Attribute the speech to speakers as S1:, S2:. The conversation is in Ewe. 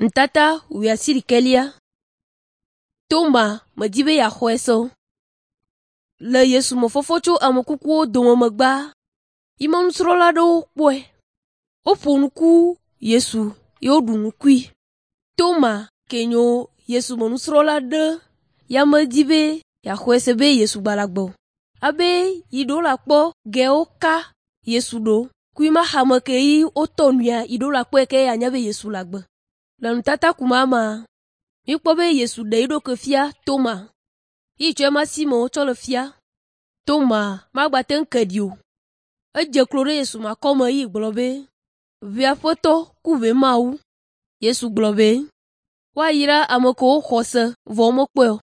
S1: Nutata wuiasiɖekɛlia. Toma medi be yeaxɔe se o. Le Yesu me fɔfɔ tso ame kukuwo dome megbea, yi me nusrɔ̃la aɖewo kpɔe. Woƒo nu ku Yesu ye woɖu nu kui. Toma ke nyo Yesu me nusrɔ̃la ɖe ya medi be yeaxɔe se be Yesu gba le agbe o. Abe yi ɖo la kpɔ gewo ka Yesu ɖo kui ma xame ke yi wotɔ nuya yi ɖo la kpɔe ke anya be Yesu le agbe. Le nutata kuma mea, míkpɔ be Yesu ɖe eɖokui fia Toma. Yi tsɔ ema si me wotsɔ le fia. Toma magbate ŋu ke ɖi o. Edze klo ɖe Yesu me akɔme yi gblɔ be, “Ʋe Aƒetɔ ku ʋe Mawu.” Yesu gblɔ be, “Woayra ame kewo xɔ se vɔ womekpɔe o.”